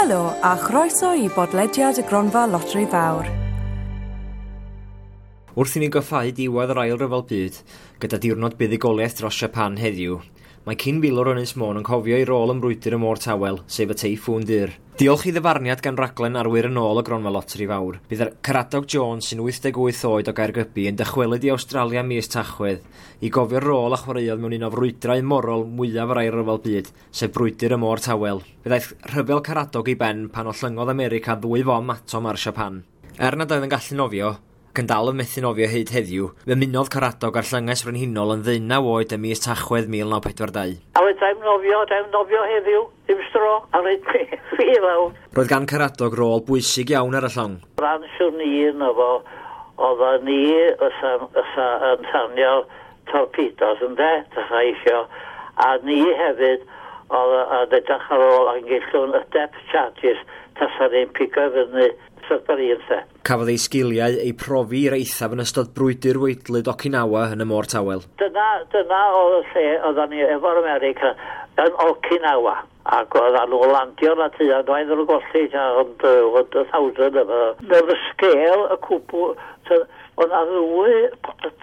Helo a chroeso i bodlediad y Gronfa Loteri Fawr. Wrth i ni goffáu diwedd yr Ail Ryfel Byd, gyda diwrnod buddugoliaeth dros Japan heddiw, mae cyn-filwr Ynys Môn yn cofio ei rôl ym mrwydr y Môr Tawel, sef y Teiffŵn Dur. Diolch i ddyfarniad gan raglen Arwyr yn ôl y Gronfa Loteri Fawr, bydd Caradog Jones, sy'n 88 oed o Gaergybi, yn dychwelyd i Awstralia mis Tachwedd i gofio'r rôl a chwaraeodd mewn un o frwydrau morol mwyaf yr Ail Ryfel Byd, sef brwydr y Môr Tawel. Fe ddaeth rhyfel Caradog i ben pan ollyngodd America ddwy fom atom ar Japan. Er nad oedd yn gallu nofio, ac yn dal yn methu nofio hyd heddiw, fe ymunodd Caradog â'r Llynges Frenhinol yn 19 oed ym mis Tachwedd 1942. A fedrai'm nofio, fedrai'm nofio heddiw, ddim stro, a reit fi lawr. Roedd gan Caradog rôl bwysig iawn ar y llong. Ran siwr ni yno fo, oedda ni fysa, fysa yn tanio torpedos ynde, tasa isio, a ni hefyd oedd yn edrych ar ôl ac yn gellwn y depth charges tasa ni'n pigo fyny submarines de. Cafodd ei sgiliau eu profi i'r eithaf yn ystod brwydr waedlyd Okinawa yn y Môr Tawel. Dyna oedd y lle oedden ni efo'r America yn Okinawa. Ac oedden nhw landio na tua, dwi'n nhw'n golli, ond 1,000 efo. Oedd y sgêl y cwbl, oedd na ddwy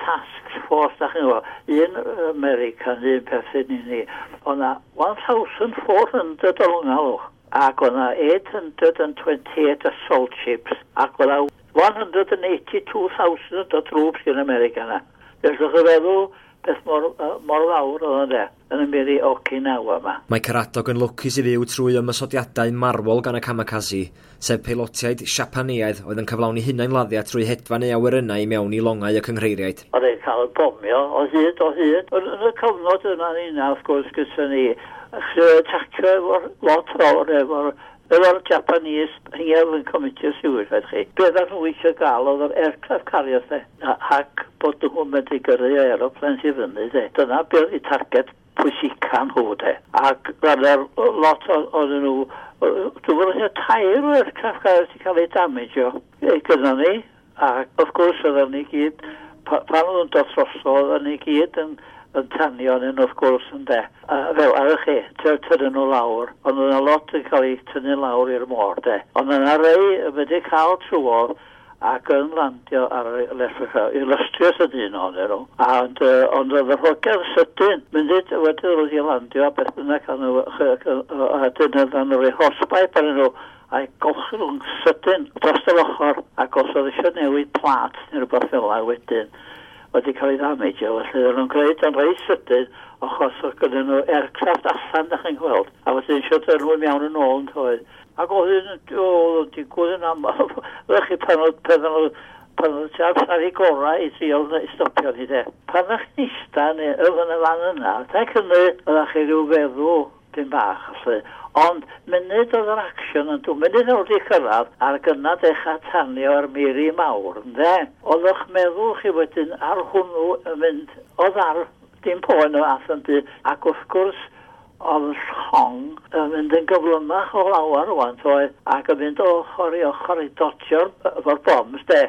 task force, da chi'n gwybod, un American, un perthyn i ni. Oedd na 1,400 o longalwch, ac oedd na 828 assault ships, ac oedd na 182,000 o troops yn America na. Felly chi feddwl beth mor fawr oedd yna, yn ymwneud i Okinawa yma. Mae Caradog yn lwcus i fyw trwy ymosodiadau marwol gan y kamikaze, sef peilotiaid Siapaneaidd oedd yn cyflawni hunainladdiad trwy hedfan neu awyrennau i mewn i longau y cynghreiriaid. Oedd e'n cael ei bomio o hyd o hyd. Yn y cyfnod yna ni wrth gwrs, gyda ni, tacio efo'r lot fawr efo'r Japanese hynny yn commitio suicide chi. Be oedden nhw eisiau gael oedd yr aircraft carriers de, ac bod nhw'n medru gyrru aeroplanes i fyny de. Dyna be oedd eu target pwysica nhw de. Ac roedd lot oedden nhw, dwi'n gwybod oedd tair o aircraft carriers wedi cael eu damage-o gyda ni, ac wrth gwrs oedden ni gyd, pan oedd yn dod drosodd, oedden ni gyd yn tanio yn wrth gwrs ynde. Fel ar chi, tynnu nhw lawr, ond yna lot yn cael eu tynnu lawr i'r môr de. Ond yna rei yn wedi cael trwodd ac yn landio ar y illustrious y dyn ohonyn nhw. Ond oedd yr hogan sydyn, mynd wedi wedi landio a beth bynnag a dyna ddan nhw horsepipe arnyn nhw, a'i golchi nhw'n sydyn dros yr ochr, ac os oedd eisiau newid plat neu rhywbeth fel yna wedyn, wedi cael ei damage-o, felly oedden nhw'n gwneud yn reit sydyn, achos oedd gyda nhw aircraft allan, da chi'n gweld, a wedyn eisiau dod nhw mewn yn ôl yn toedd. Ac oedd yn digwydd yn aml, ydych chi pan oedd Japs ar ei gorau i drio i stopio ni de. Pan ydych chi'n eista neu yn y fan yna, da cymryd ydych chi rhyw feddwl dim bach, felly. Ond munud oedd yr action yn dod, munud oedd wedi cyrraedd, a'r gyna dechrau tanio ar miri mawr, ynde? Oedd eich meddwl chi wedyn ar hwnnw yn mynd, oedd ar dim poen o ath yn byd, ac wrth gwrs oedd y llong yn mynd yn gyflymach o lawer rwan, toedd, ac yn mynd o ochr i ochr i dodio'r efo'r bombs, de,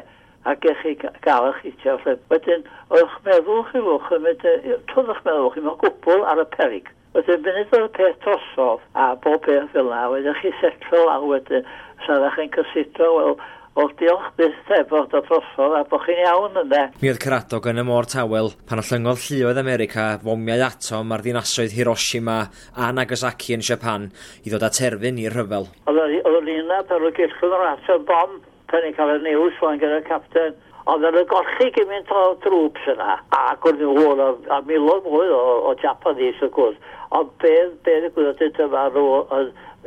ac eich chi gael eich hitio. Wedyn, oedd eich meddwl chi fwch yn mynd, toedd eich meddwl chi mewn gwbl ar y perig. Wedyn, munud oedd y peth drosodd, a bob peth fel yna, wedyn chi setlo lawr wedyn, so ydych chi'n cysidro, wel, diolch byth efo dod drosodd, a bod chi'n iawn ynde. Mi oedd Caradog yn y Môr Tawel pan ollyngodd lluoedd America fomiau atom ar ddinasoedd Hiroshima a Nagasaki yn Japan i ddod â terfyn i'r rhyfel. Oedd yna pan oedd gillwyd yr atom bomb, pan ni'n cael y news fan gyda'r captain. Ond yn y golchi gymaint o troops yna, ac wrth nhw, a miloedd mwy o Japanese wrth gwrs. Ond be ddigwyddodd dyma nhw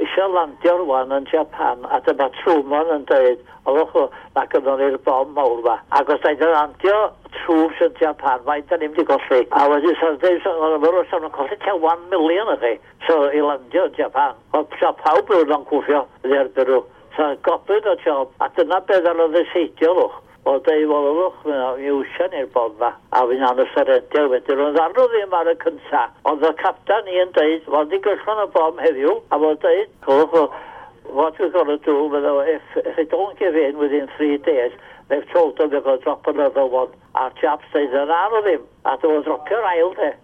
eisiau landio rwan yn Japan, a dyma Truman yn dweud, oeddech chi, mae gynnon ni'r bom mawr ma. Ac os da ni'n landio troops yn Japan, mae da ni'n mynd i golli. A wedyn, sa'n nhw'n colli tua 1 million o chi, so i landio yn Japan. Ond pawb yn nhw'n cwffio, dderbyn nhw. So gobyn o job, a dyna beth ar oedd ddeseidio nhw. O dweud, wel, ylwch, mi wsio ni'r bom ma, a fi'n anodd surrender wedyn. Ond arno ddim ar y cynta. Ond y captain i yn dweud, wel, ni gyllon y bom heddiw, a fo'n dweud, clywch, what we're going to do, if they don't give in within 3 days, they've told them they're going to drop another one. A'r chaps dweud, yn arno ddim, a dwi'n dropio'r ail de.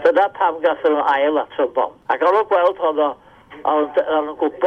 Dyna pam gath nhw ail atom bom. Ac o'n nhw'n gweld honno, ond o'n nhw'n gwybod